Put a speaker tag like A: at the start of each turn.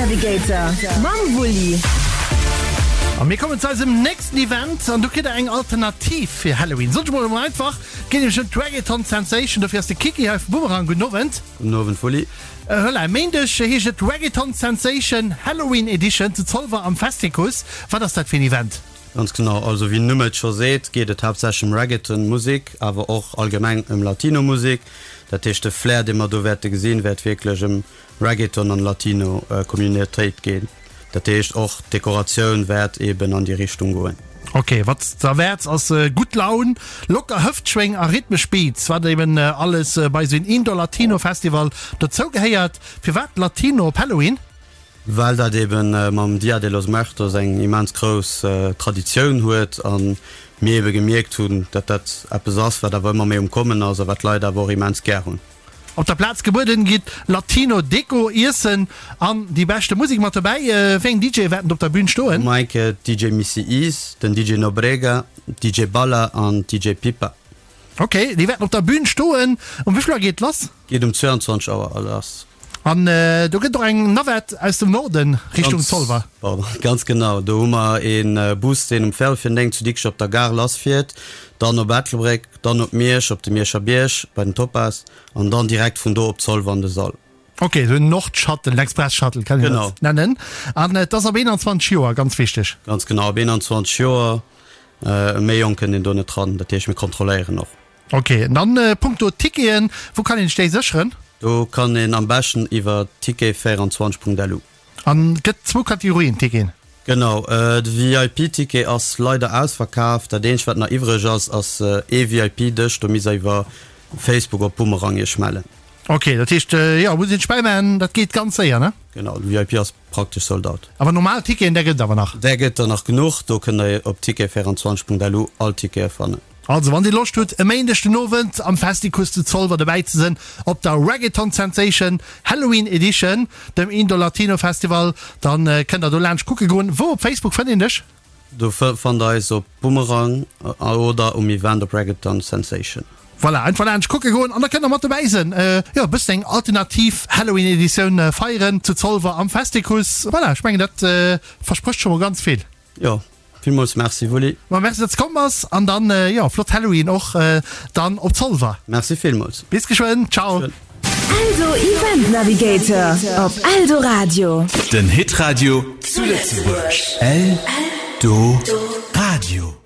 A: Navigator mam Wulli.
B: A mir kommen zu eisem nächsten Event an do kritt der eng Alternativ fir Halloween. Soen ech mol emol einfach, et geet nämlech ëm d'Reggaeton Sensation. Dofir ass de Kiki hei vu Boomerang. Gudden Owend.
C: Gudden Owend Wulli.
B: Voilà, e Méindeg heescht et Reggaeton Sensation Halloween Edition zu Zolwer am Festicus. Wat ass dat fir en Event?
C: Ganz genau, also wéi den Numm et scho seet, geet et haaptsächlech ëm Reggaeton Musek, awer och allgemeng ëm Latino Musek. Dat heescht de Flair dee mer do wäerte gesinn, wäert wierklech ëm Reggaeton an Latino Communautéit ginn. Dat heescht och d'Dekoratioun wäert eben an déi Richtung goen.
B: Ok, wat z'erwäerts ass gutt Laun, locker Hëftschwéng a rhythmesch Beats, wat eben alles bei esou een Indoor Latino Festival dozou gehéiert. Firwat Latino op Halloween?
C: Well dat eben mam Dia de los Muertos eng immens grouss Traditioun huet a mir ebe gemierkt hunn, datt dat eppes ass, wat awer ëmmer méi um Kommen ass a wat d'Leit awer och immens gär hunn.
B: Op der Plaz gebueden gitt Latino Deko, Iessen an déi beschte Musek mat dobäi. Wéi eng DJe wäerten op der Bün stoen?
C: Maike, DJ Missy Ease, den DJ Nobrega, DJ Balla an DJ Pipa.
B: Ok, déi wäerten op der Bün stoen. Um wéi vill Auer geet et lass?
C: Geet um 22 Auer lass.
B: An do gëtt och eng Navette aus dem Norden Richtung Zolwer.
C: Pardon, ganz genau. Do hu mer ee Bus, deen um Véierel fir 9 zu Dikrech op der Gare lassfiert, dann op Ettelbréck, dann op Miersch, op de Mierscher Bierg bei den Topaz an dann direkt vun do op Zolwer an de Sall.
B: Ok, esou en Nord-Shuttle, en Express-Shuttle kann een dat nennen. An et ass ab 21 Joer, ganz wichteg.
C: Ganz genau, ab 21 Joer. E méi jonk kënnt een do net dran, dat heescht mir kontrolléieren och.
B: Ok, an dann punkto Ticketen, wou kann een sech déi sécheren?
C: Do kann een am beschten iwwer ticket24.lu.
B: An gëtt zwou Kategorien Ticketen?
C: Genau, de VIP Ticket ass leider ausverkaf. Dat eenzegt wat nach iwwreg ass, ass ee VIP Dësch, do misst der iwwer Facebook op Boomerang iech mellen.
B: Ok, dat heescht jo muss een sech bäimachen, dat geet ganz séier ne?
C: Genau, de VIP ass praktesch sold out.
B: Awer normal Ticketen, där gëtt et awer nach?
C: Där gëtt der nach genuch, do kënnt der op ticket24.lu all Tickete fannen.
B: Also wann dir Loscht hutt e Méindeg den Owend am Festicus zu Zolwer dobäi ze sënn op der Reggaeton Sensation Halloween Edition, dem Indoor Latino Festival, dann kënnt der do laanscht kucke goen. Wou op Facebook fënnt een dech?
C: Do fannt der eis op Boomerang oder um Event op Reggaeton Sensation.
B: Voilà, einfach laanscht kucke goen an da kënnt der mat dobäi sënn. Jo, e bëssen eng alternativ Halloween Editioun feieren zu Zolwer am Festicus. Voilà, ech mengen dat versprécht scho mol ganz vill.
C: Jo, villmools Merci Wulli.
B: Ma merci datt s komm bass an dann jo flott Halloween och dann op Zolwer.
C: Merci villmools.
B: Bis geschwënn, ciao.
A: Eldo Event Navigator op Eldoradio.
D: Den Hitradio zu Lëtzebuerg. Eldoradio.